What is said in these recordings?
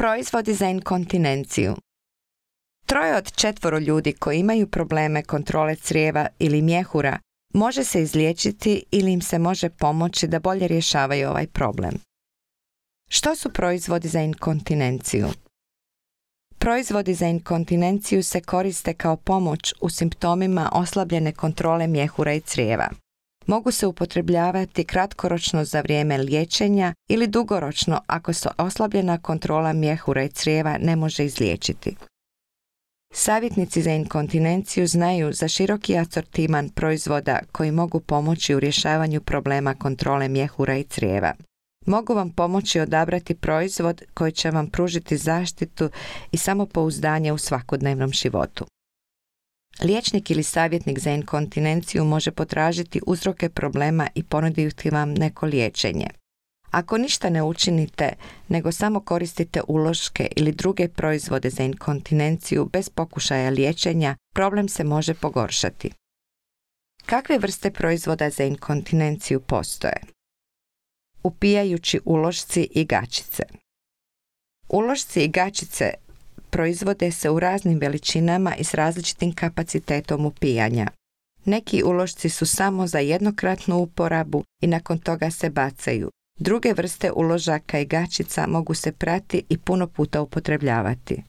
Proizvodi za inkontinenciju. 3 od 4 ljudi koji imaju probleme kontrole crijeva ili mjehura može se izliječiti ili im se može pomoći da bolje rješavaju ovaj problem. Što su proizvodi za inkontinenciju? Proizvodi za inkontinenciju se koriste kao pomoć u simptomima oslabljene kontrole mjehura i crijeva. Mogu se upotrebljavati kratkoročno za vrijeme liječenja ili dugoročno ako se oslabljena kontrola mjehura i crijeva ne može izliječiti. Savjetnici za inkontinenciju znaju za široki asortiman proizvoda koji mogu pomoći u rješavanju problema kontrole mjehura i crijeva. Mogu vam pomoći odabrati proizvod koji će vam pružiti zaštitu i samopouzdanje u svakodnevnom životu. Liječnik ili savjetnik za inkontinenciju može potražiti uzroke problema i ponuditi vam neko liječenje. Ako ništa ne učinite, nego samo koristite uloške ili druge proizvode za inkontinenciju bez pokušaja liječenja, problem se može pogoršati. Kakve vrste proizvoda za inkontinenciju postoje? Upijajući ulošci i gaćice. Ulošci i gaćice proizvode se u raznim veličinama i s različitim kapacitetom upijanja. Neki ulošci su samo za jednokratnu uporabu i nakon toga se bacaju. Druge vrste uložaka i gaćica mogu se prati i puno puta upotrebljavati.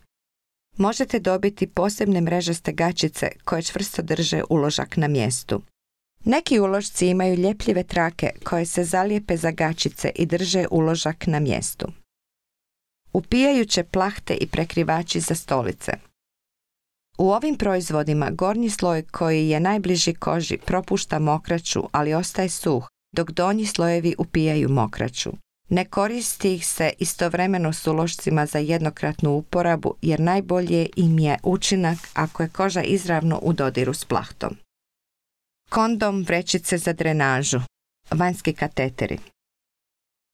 Možete dobiti posebne mrežaste gaćice koje čvrsto drže uložak na mjestu. Neki ulošci imaju ljepljive trake koje se zalijepe za gaćice i drže uložak na mjestu. Upijajuće plahte i prekrivači za stolice. U ovim proizvodima gornji sloj koji je najbliži koži propušta mokraću, ali ostaje suh, dok donji slojevi upijaju mokraću. Ne koristi ih se istovremeno s ulošcima za jednokratnu uporabu jer najbolje im je učinak ako je koža izravno u dodiru s plahtom. Kondom vrećice za drenažu. Vanjski kateteri.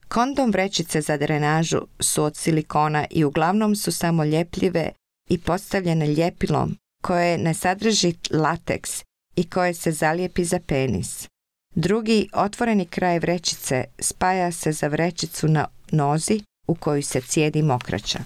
Kondom vrećice za drenažu su od silikona i uglavnom su samo ljepljive i postavljene ljepilom koje ne sadrži lateks i koje se zalijepi za penis. Drugi otvoreni kraj vrećice spaja se za vrećicu na nozi u koju se cijedi mokraća.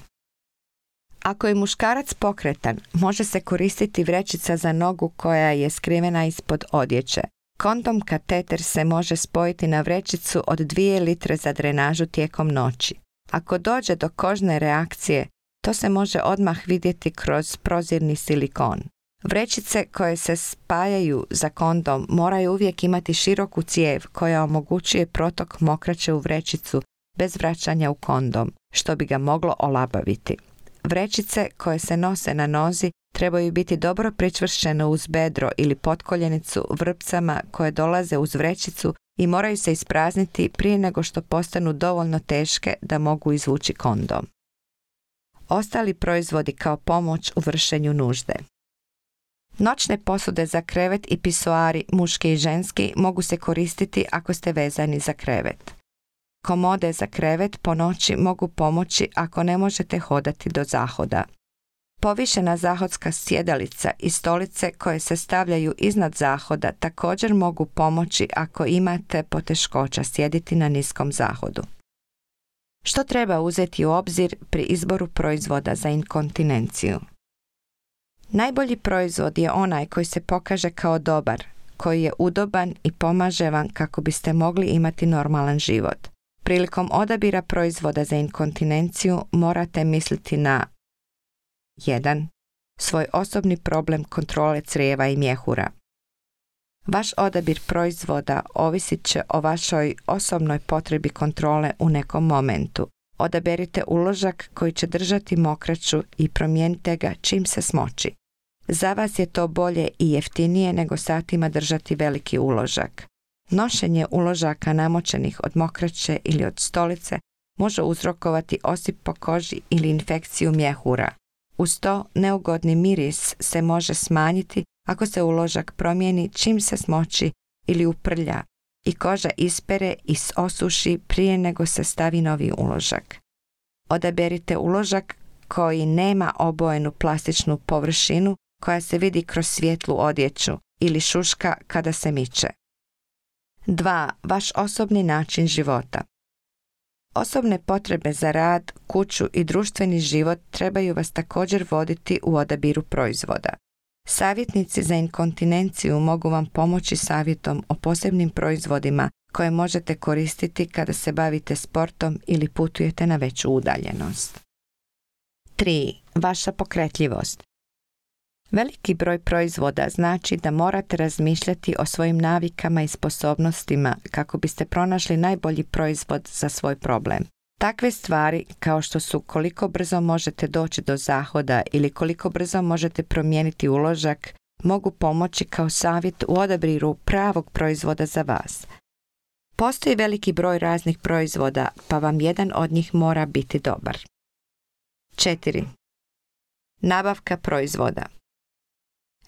Ako je muškarac pokretan, može se koristiti vrećica za nogu koja je skrivena ispod odjeće. Kondom kateter se može spojiti na vrećicu od 2 litre za drenažu tijekom noći. Ako dođe do kožne reakcije, to se može odmah vidjeti kroz prozirni silikon. Vrećice koje se spajaju za kondom moraju uvijek imati široku cijev koja omogućuje protok mokraće u vrećicu bez vraćanja u kondom, što bi ga moglo olabaviti. Vrećice koje se nose na nozi trebaju biti dobro pričvršćene uz bedro ili potkoljenicu vrpcama koje dolaze uz vrećicu i moraju se isprazniti prije nego što postanu dovoljno teške da mogu izvući kondom. Ostali proizvodi kao pomoć u vršenju nužde. Noćne posude za krevet i pisoari, muški i ženski, mogu se koristiti ako ste vezani za krevet. Komode za krevet po noći mogu pomoći ako ne možete hodati do zahoda. Povišena zahodska sjedalica i stolice koje se stavljaju iznad zahoda također mogu pomoći ako imate poteškoća sjediti na niskom zahodu. Što treba uzeti u obzir pri izboru proizvoda za inkontinenciju? Najbolji proizvod je onaj koji se pokaže kao dobar, koji je udoban i pomaže vam kako biste mogli imati normalan život. Prilikom odabira proizvoda za inkontinenciju morate misliti na 1. Svoj osobni problem kontrole crijeva i mjehura. Vaš odabir proizvoda ovisit će o vašoj osobnoj potrebi kontrole u nekom momentu. Odaberite uložak koji će držati mokraću i promijenite ga čim se smoči. Za vas je to bolje i jeftinije nego satima držati veliki uložak. Nošenje uložaka namočenih od mokraće ili od stolice može uzrokovati osip po koži ili infekciju mjehura. Uz to neugodni miris se može smanjiti ako se uložak promijeni čim se smoči ili uprlja i koža ispere i osuši prije nego se stavi novi uložak. Odaberite uložak koji nema obojenu plastičnu površinu koja se vidi kroz svijetlu odjeću ili šuška kada se miče. 2. Vaš osobni način života. Osobne potrebe za rad, kuću i društveni život trebaju vas također voditi u odabiru proizvoda. Savjetnici za inkontinenciju mogu vam pomoći savjetom o posebnim proizvodima koje možete koristiti kada se bavite sportom ili putujete na veću udaljenost. 3. Vaša pokretljivost. Veliki broj proizvoda znači da morate razmišljati o svojim navikama i sposobnostima kako biste pronašli najbolji proizvod za svoj problem. Takve stvari kao što su koliko brzo možete doći do zahoda ili koliko brzo možete promijeniti uložak mogu pomoći kao savjet u odabiru pravog proizvoda za vas. Postoji veliki broj raznih proizvoda, pa vam jedan od njih mora biti dobar. 4. Nabavka proizvoda.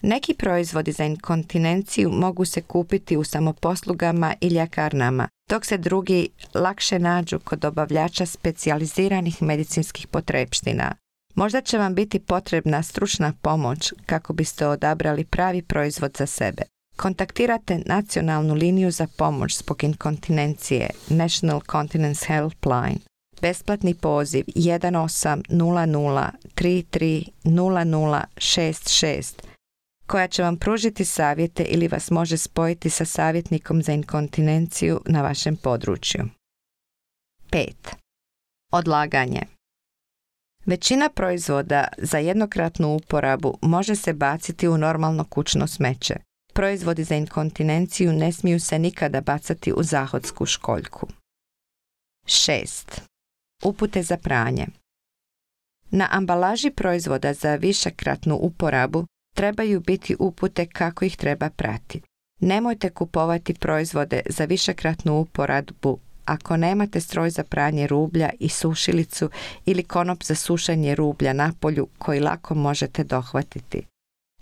Neki proizvodi za inkontinenciju mogu se kupiti u samoposlugama i ljekarnama, dok se drugi lakše nađu kod dobavljača specijaliziranih medicinskih potrepština. Možda će vam biti potrebna stručna pomoć kako biste odabrali pravi proizvod za sebe. Kontaktirate nacionalnu liniju za pomoć zbog inkontinencije National Continence Helpline. Besplatni poziv 1800 33 0066 koja će vam pružiti savjete ili vas može spojiti sa savjetnikom za inkontinenciju na vašem području. 5. Odlaganje. Većina proizvoda za jednokratnu uporabu može se baciti u normalno kućno smeće. Proizvodi za inkontinenciju ne smiju se nikada bacati u zahodsku školjku. 6. Upute za pranje. Na ambalaži proizvoda za višekratnu uporabu trebaju biti upute kako ih treba prati. Nemojte kupovati proizvode za višekratnu uporabu ako nemate stroj za pranje rublja i sušilicu ili konop za sušenje rublja na polju koji lako možete dohvatiti.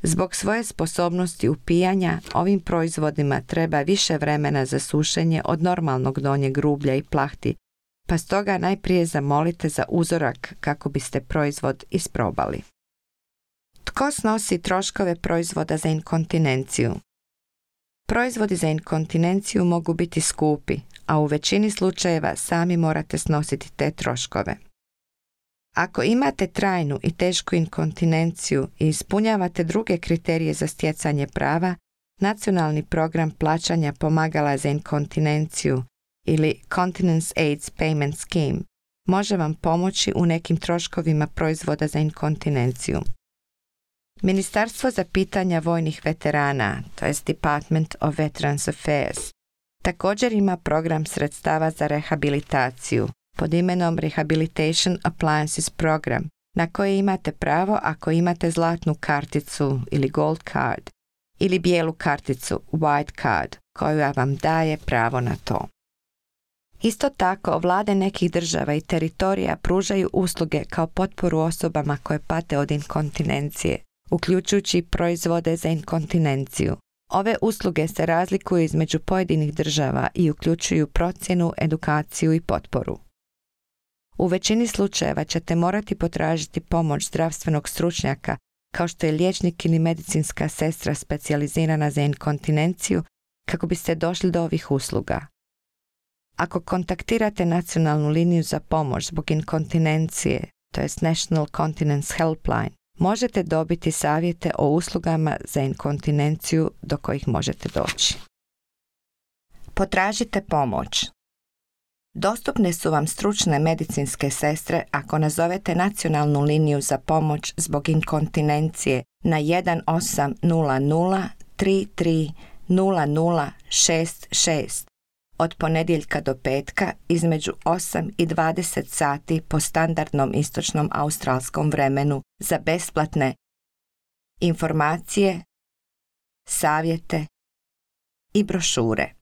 Zbog svoje sposobnosti upijanja, ovim proizvodima treba više vremena za sušenje od normalnog donjeg rublja i plahti, pa stoga najprije zamolite za uzorak kako biste proizvod isprobali. Tko snosi troškove proizvoda za inkontinenciju? Proizvodi za inkontinenciju mogu biti skupi, a u većini slučajeva sami morate snositi te troškove. Ako imate trajnu i tešku inkontinenciju i ispunjavate druge kriterije za stjecanje prava, Nacionalni program plaćanja pomagala za inkontinenciju ili Continence AIDS Payment Scheme može vam pomoći u nekim troškovima proizvoda za inkontinenciju. Ministarstvo za pitanja vojnih veterana, to jest Department of Veterans Affairs, također ima program sredstava za rehabilitaciju pod imenom Rehabilitation Appliances Program, na koje imate pravo ako imate zlatnu karticu ili gold card ili bijelu karticu white card koja vam daje pravo na to. Isto tako, vlade nekih država i teritorija pružaju usluge kao potporu osobama koje pate od inkontinencije, uključujući proizvode za inkontinenciju. Ove usluge se razlikuju između pojedinih država i uključuju procjenu, edukaciju i potporu. U većini slučajeva ćete morati potražiti pomoć zdravstvenog stručnjaka kao što je liječnik ili medicinska sestra specijalizirana za inkontinenciju kako biste došli do ovih usluga. Ako kontaktirate nacionalnu liniju za pomoć zbog inkontinencije, to jest National Continence Helpline, možete dobiti savjete o uslugama za inkontinenciju do kojih možete doći. Potražite pomoć. Dostupne su vam stručne medicinske sestre ako nazovete nacionalnu liniju za pomoć zbog inkontinencije na 1800 33 0066 od ponedjeljka do petka između 8 i 20 sati po standardnom istočnom australskom vremenu za besplatne informacije, savjete i brošure.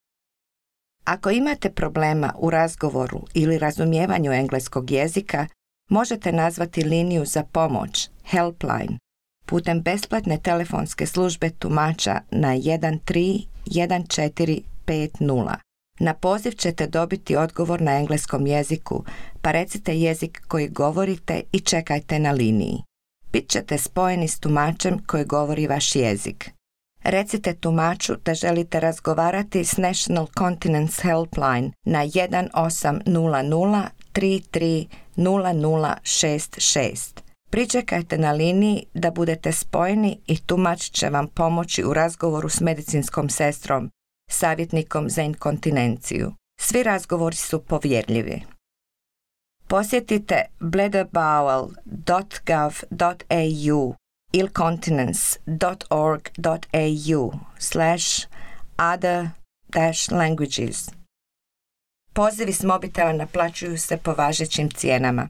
Ako imate problema u razgovoru ili razumijevanju engleskog jezika, možete nazvati liniju za pomoć Helpline putem besplatne telefonske službe tumača na 131450. Na poziv ćete dobiti odgovor na engleskom jeziku, pa recite jezik koji govorite i čekajte na liniji. Bit ćete spojeni s tumačem koji govori vaš jezik. Recite tumaču da želite razgovarati s National Continence Helpline na 1800 0066. Pričekajte na liniji da budete spojeni i tumač će vam pomoći u razgovoru s medicinskom sestrom, savjetnikom za inkontinenciju. Svi razgovori su povjerljivi. Posjetite bladderbowel.gov.au ili continence.org.au/other-languages. Pozivi s mobitela naplaćuju se po važećim cijenama.